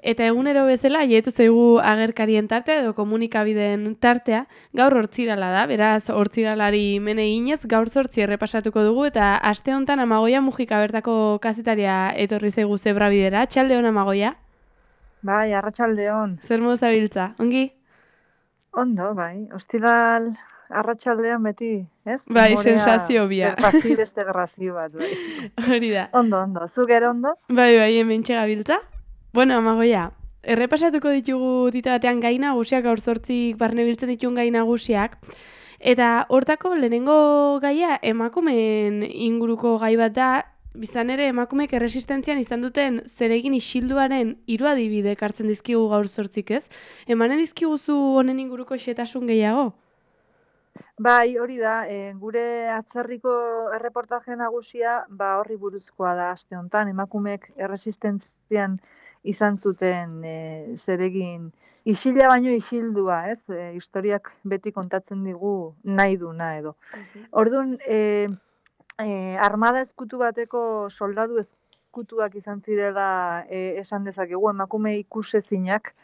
Eta egunero bezala, jaietu zaigu agerkarien tartea edo komunikabideen tartea, gaur hortzirala da, beraz hortziralari mene eginez, gaur 8 errepasatuko dugu, eta aste honetan Amagoia Mujika bertako kazetaria etorri zaigu Zebrabidera. Txalde hon, Amagoia? Bai, arratsaldeon. Zer modu zabiltza, ongi? Ondo, bai. Ostiral arratsaldean beti, ez? Bai, Umorea sensazio bia. gertazi beste gerrazi bat, bai. Hori da. Ondo. Zu gero ondo? Bai, hemen gabiltza. Bueno, Amagoia, errepasatuko ditugu tita batean gai nagusiak, gaur 8 barne biltzen dituen gai nagusiak. Eta hortako lehenengo gaia emakumeen inguruko gai bat da, biztan ere emakumeek erresistentzian izan duten zeregin isilduaren 3 adibide ekartzen dizkigu gaur 8 ez? Emanen dizkiguzu honen inguruko xehetasun gehiago? Bai, hori da, gure atzerriko erreportaje nagusia, horri buruzkoa da aste honetan, emakumeek erresistentzian izan zuten zeregin isila baino isildua, ez? Historiak beti kontatzen digu nahi duna edo. Orduan, armada ezkutu bateko soldadu ezkutuak izan zirela esan dezakegu, emakume ikusezinak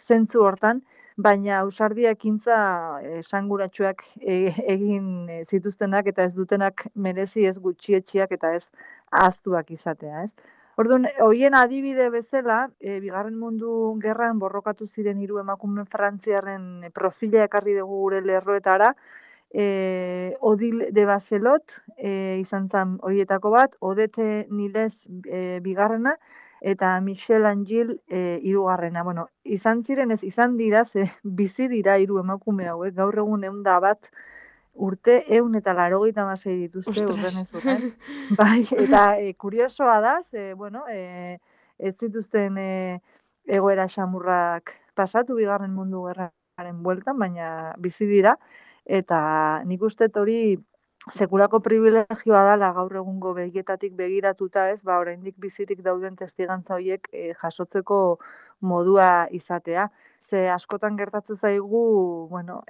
zentzu hortan, baina ausardia ekintza esanguratsuak egin zituztenak eta ez dutenak merezi ez gutxietsiak eta ez ahaztuak izatea, ez? Orduan, hoien adibide bezala, Bigarren Mundu Gerran borrokatu ziren 3 emakume frantziarren profila ekarri dugu gure lerroetara, Odile de Baselot izan zen horietako bat, Odete Niles bigarrena, eta Michel Angil hirugarrena. Bueno, izan ziren ez izan dira, ze bizi dira 3 emakume hauek, gaur egun 101 urte 186 dituzte urrenez urren. Bai, eta kuriosoa da, ze, bueno, ez zituzten egoera xamurrak pasatu Bigarren Mundu Gerraren bueltan, baina bizi dira, eta nik uste hori sekulako privilegioa dela gaur egungo begietatik begiratuta, ez, oraindik bizirik dauden testigantza horiek jasotzeko modua izatea. Ze askotan gertatzen zaigu, bueno,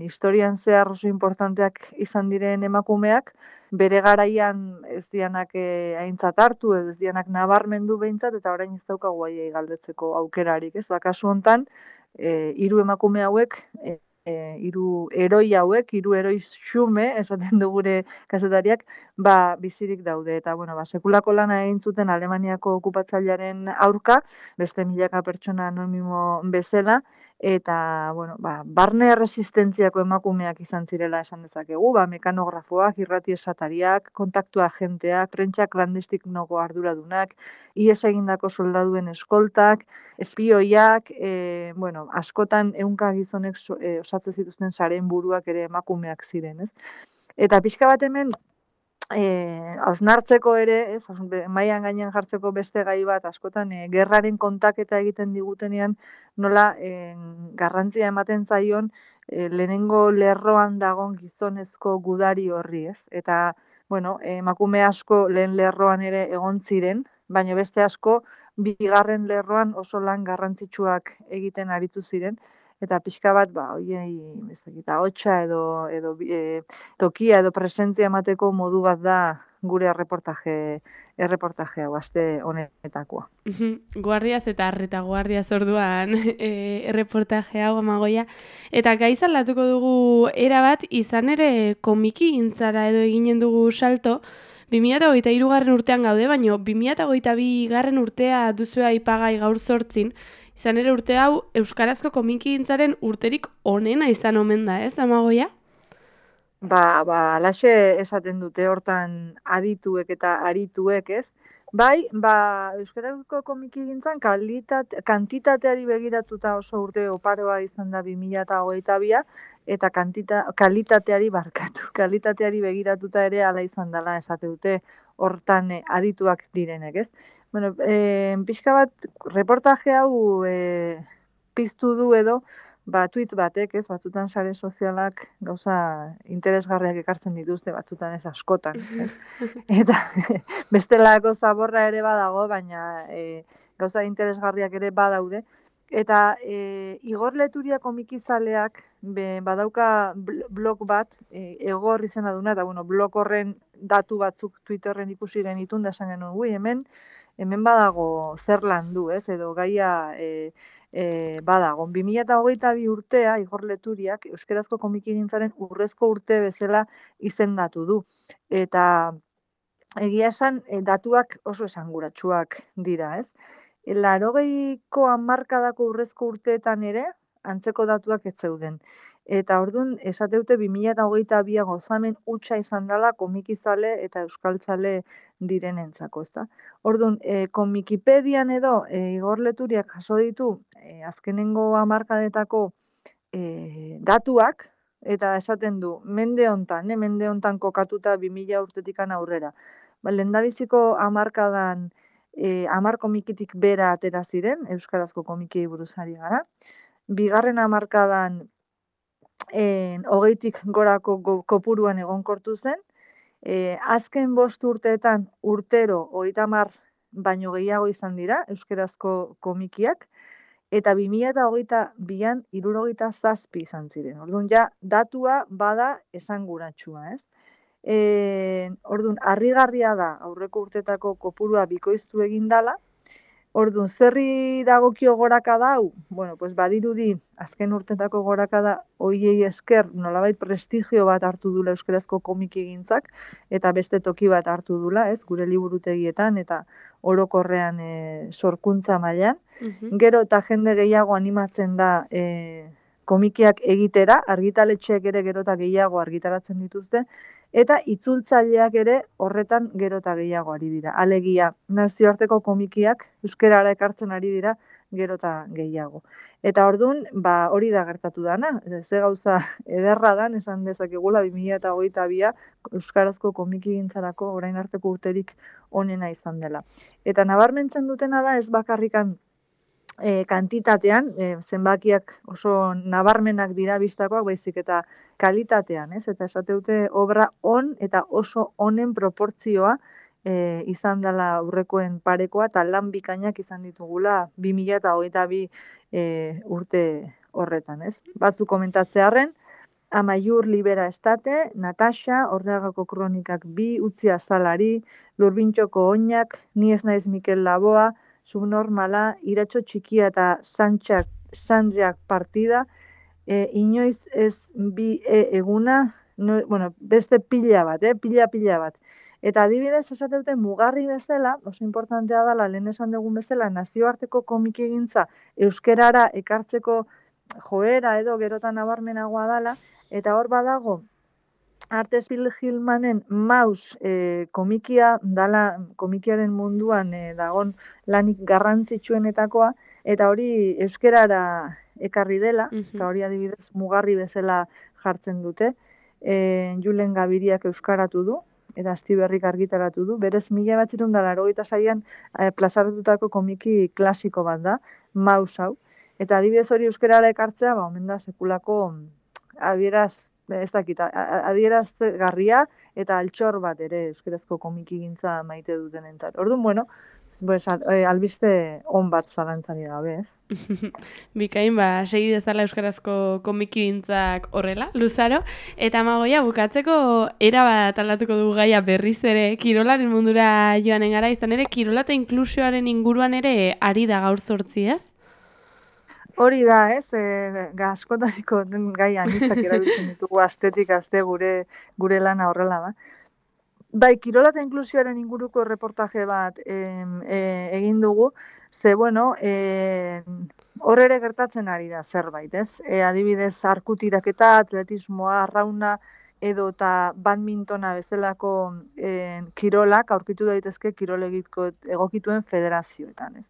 historian zehar oso importanteak izan diren emakumeak, bere garaian ez dianak aintzat hartu, ez dianak nabarmendu behintzat, eta orain ez daukagu haiei galdetzeko aukerarik, ez? Kasu hontan, 3 emakume hauek, 3 heroi hauek, 3 heroi xume, esaten du gure kazetariak, bizirik daude. Eta, bueno, sekulako lana egin zuten Alemaniako okupatzailearen aurka, beste milaka pertsona anonimo bezala, eta, bueno, barne erresistentziako emakumeak izan zirela esan dezakegu, mekanografoak, irrati esatariak, kontaktu agenteak, prentsa klandestinoko arduradunak, ihes egindako soldaduen eskoltak, espioiak, bueno, askotan ehunka gizonek osatzen zituzten sareen buruak ere emakumeak ziren, ez? Eta pixka bat hemen hausnartzeko ere, ez, mailan gainean jartzeko beste gai bat, askotan gerraren kontaketa egiten digutenean nola garrantzia ematen zaion lehenengo lerroan dagon gizonezko gudari horri, ez? Eta, bueno, emakume asko lehen lerroan ere egon ziren, baina beste asko bigarren lerroan oso lan garrantzitsuak egiten aritu ziren, eta pixka bat, hoiei, ez dakit, ahotsa edo tokia edo presentzia emateko modu bat da gure erreportaje hau aste honetakoa. Guardiaz eta retaguardiaz orduan erreportaje hau, Amagoia. Eta gai zaldatuko dugu erabat, izan ere komiki gintzara edo eginen dugu salto, 2023 urtean gaude, baina 2022 urtea duzu aipagai gaur 8, izan ere urte hau euskarazko komiki gintzaren urterik onena izan omen da, ez, Amagoia? Alaxe esaten dute hortan adituek eta arituek, ez? Bai, euskarazko komikigintzan kantitateari begiratuta oso urte oparoa izan da 2022 eta kalitateari begiratuta ere hala izan dela esate dute hortan adituak direnek, ez? Bueno, pixka bat reportaje hau piztu du edo, tweet batek, ez, batzutan sare sozialak gauza interesgarriak ekartzen dituzte, batzutan ez askotan, ez? Eta bestelako zaborra ere badago, baina gauza interesgarriak ere badaude. Eta Igor Leturia komikizaleak badauka blog bat, Egor izena duna, eta bueno, blog horren datu batzuk Twitterren ikusi genitun da esan genuen, hemen hemen badago zer landu, ez, edo gaia badago. 2022 urtea Igor Leturiak euskarazko komikigintzaren urrezko urte bezala izendatu du. Eta egia esan, datuak oso esanguratsuak dira, ez? 80ko hamarkadako urrezko urteetan ere, antzeko datuak ez zeuden. Eta orduan, esateute 2022 gozamen hutsa izan dela komikizale eta euskaltzale direnentzako, ezta? Orduan, komikipedian edo Igor Leturiak jaso ditu azkenengo hamarkadetako datuak, eta esaten du, mende hontan kokatuta 2000 urtetikan aurrera. Lehendabiziko hamarkadan 10 komikitik bera atera ziren, euskarazko komikiei buruz ari gara. Bigarren hamarkadan 20tik gorako kopuruan egonkortu zen. Azken 5 urteetan urtero 30 baino gehiago izan dira euskarazko komikiak, eta 2022an 77 izan ziren. Orduan ja datua bada esanguratsua, ez? Orduan, harrigarria da aurreko urtetako kopurua bikoiztu egin dala. Orduan, zerri dagokio gorakada hau? Bueno, pues badirudi azken urtetako gorakada hoiei esker nolabait prestigio bat hartu dula euskarazko komikigintzak eta beste toki bat hartu dula, ez? Gure liburutegietan eta orokorrean sorkuntza mailan. Gero eta jende gehiago animatzen da komikiak egitera, argitaletxeak ere gero eta gehiago argitaratzen dituzte, eta itzultzaileak ere horretan gero eta gehiago ari dira. Alegia, nazioarteko komikiak euskarara ekartzen ari dira gero eta gehiago. Eta orduan, hori da gertatu dana. Ze gauza ederra dan, esan dezakegula 2022a euskarazko komikigintzarako orain arteko urterik onena izan dela. Eta nabarmentzen dutena da ez bakarrikan kantitatean, zenbakiak oso nabarmenak dira bistakoak, baizik eta kalitatean, ez? Eta esateute obra on eta oso honen proportzioa izan dela aurrekoen parekoa, eta lan bikainak izan ditugula 2022 urte horretan, ez? Batzuk komentatzearren, Amaiur Libera Estate, Natasha, Ordeagako Kronikak 2, Utzi Azalari, Lurbintxoko Oinak, Ni ez naiz Mikel Laboa, Subnormala, Iratxo Txikia eta Sanjak partida, inoiz ez bi eguna, beste pila bat. Eta adibidez esateute mugarri bezala, oso importantea dela, lehen esan dugun bezala, nazioarteko komikigintza euskerara ekartzeko joera edo gerotan nabarmenagoa dela, eta hor badago, Artes Pilgrimanen Maus komikia dala komikiaren munduan dagon lanik garrantzitsuenetakoa, eta hori euskerara ekarri dela, eta hori adibidez mugarri bezala jartzen dute. Julen Gabiriak euskaratu du, eta Astiberrik argitaratu du. Berez 1986an plazaratutako komiki klasiko bat da, Maus hau. Eta adibidez hori euskerara ekartzea, omen da sekulako adierazgarria eta altxor bat ere euskarazko komikigintza maite dutenentzat. Orduan, bueno, albiste on bat zalantzari gabe, ez? Bikain, segi dezala euskarazko komikigintzak horrela, luzaro. Eta Amagoia, bukatzeko erabat aldatuko dugu gaia berriz ere, kirolaren mundura joanen gara, izan ere, kirola eta inklusioaren inguruan ere ari da gaur 8, ez? Hori da, ez, askotariko gai anitzak erabiltzen ditugu astetik aste gure lana horrela da. Bai, kirola eta inklusioaren inguruko reportaje bat egin dugu, ze, bueno, hor ere gertatzen ari da zerbait, ez? Adibidez, arkutiraketa, atletismoa, arrauna, edo eta badmintona bezalako kirolak aurkitu daitezke kirolegitko egokituen federazioetan, ez?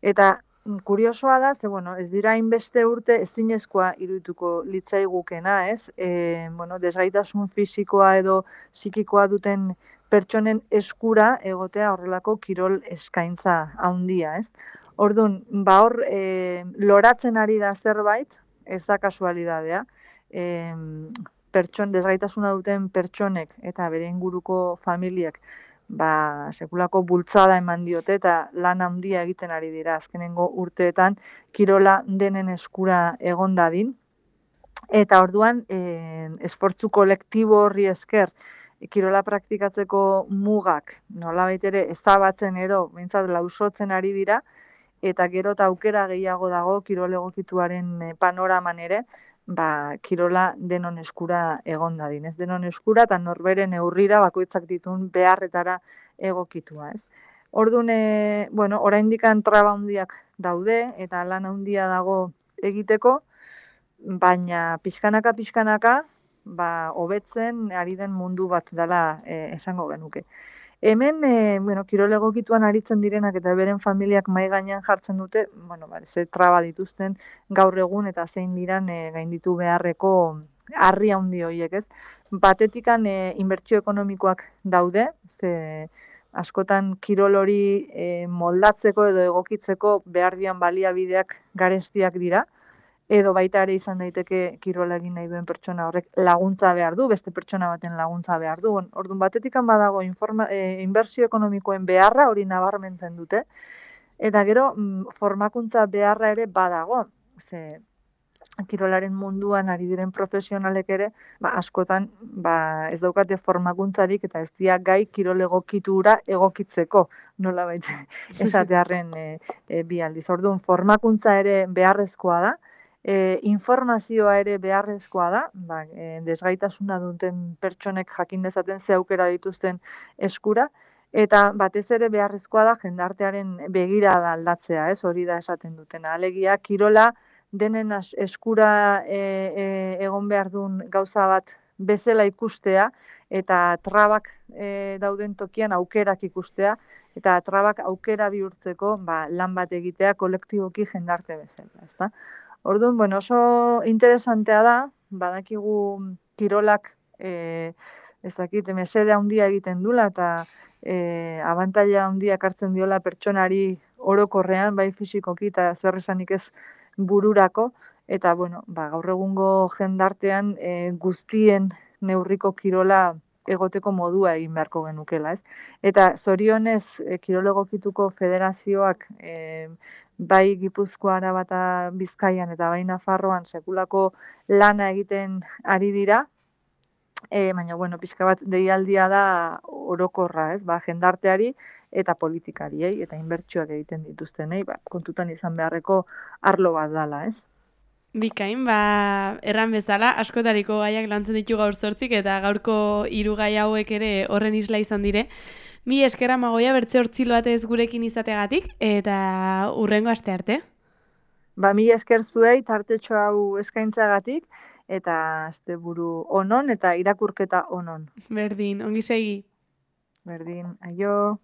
Eta kuriosoa da, ze, bueno, ez dira hainbeste urte ezinezkoa irudituko litzaigukena, ez? Desgaitasun fisikoa edo psikikoa duten pertsonen eskura egotea horrelako kirol eskaintza handia, ez? Orduan, hor loratzen ari da zerbait, ez da kasualidadea, desgaitasuna duten pertsonek eta bere inguruko familiak sekulako bultzada eman diote eta lan handia egiten ari dira azkenengo urteetan kirola denen eskura egon dadin. Eta orduan, esfortzu kolektibo horri esker kirola praktikatzeko mugak nolabait ere ezabatzen edo behintzat lausotzen ari dira, eta gero eta aukera gehiago dago kirol egokituaren panoraman ere, kirola denon eskura egon dadin, ez denon eskura eta norberen neurrira bakoitzak dituen beharretara egokitua, ez. Orduan, oraindik traba handiak daude eta lan handia dago egiteko, baina pixkanaka, hobetzen ari den mundu bat dela esango genuke. Hemen, kirol egokituan aritzen direnak eta beren familiak mahai gainean jartzen dute, ze traba dituzten gaur egun eta zein diran gainditu beharreko harri handi horiek, ez? Batetikan inbertsio ekonomikoak daude, ze askotan kirol hori moldatzeko edo egokitzeko behar dian baliabideak garestiak dira, edo baita ere izan daiteke kirola egin nahi duen pertsona horrek laguntza behar du, beste pertsona baten laguntza behar du. Orduan batetikan badago inbertsio ekonomikoen beharra hori nabarmentzen dute, eta gero formakuntza beharra ere badago, ze kirolaren munduan ari diren profesionalek ere, askotan ez daukate formakuntzarik eta ez dira gai kirol egokitura egokitzeko, nolabait esatearren bi aldiz. Orduan formakuntza ere beharrezkoa da, informazioa ere beharrezkoa da, desgaitasuna duten pertsonek jakin dezaten ze aukera dituzten eskura, eta batez ere beharrezkoa da jendartearen begirada aldatzea, ez hori da esaten dutena. Alegia, kirola denen eskura egon behar duen gauza bat bezala ikustea, eta trabak dauden tokian aukerak ikustea, eta trabak aukera bihurtzeko lan bat egitea kolektiboki jendarte bezala, ezta? Orduan, oso interesantea da, badakigu kirolak mesede handia egiten dula eta abantaila handiak hartzen diola pertsonari orokorrean, bai fisikoki eta zer esanik ez bururako, eta gaur egungo jendartean guztien neurriko kirola egoteko modua egin beharko genukela, ez? Eta zorionez kirol egokituko federazioak bai Gipuzkoa, Araba eta Bizkaian eta bai Nafarroan sekulako lana egiten ari dira, baina, pixka bat deialdia da orokorra, ez? Jendarteari eta politikariei eta inbertsioak egiten dituztenei, kontutan izan beharreko arlo bat dala, ez? Bikain, erran bezala, askotariko gaiak lantzen ditu gaur zortzik eta gaurko 3 gai hauek ere horren isla izan dire. Mi esker Amagoia bertze hortzilo batez gurekin izategatik eta hurrengo aste arte. Mi esker zuei tartetxo hau eskaintzagatik eta asteburu onon eta irakurketa onon. Berdin, ongi segi. Berdin, aio.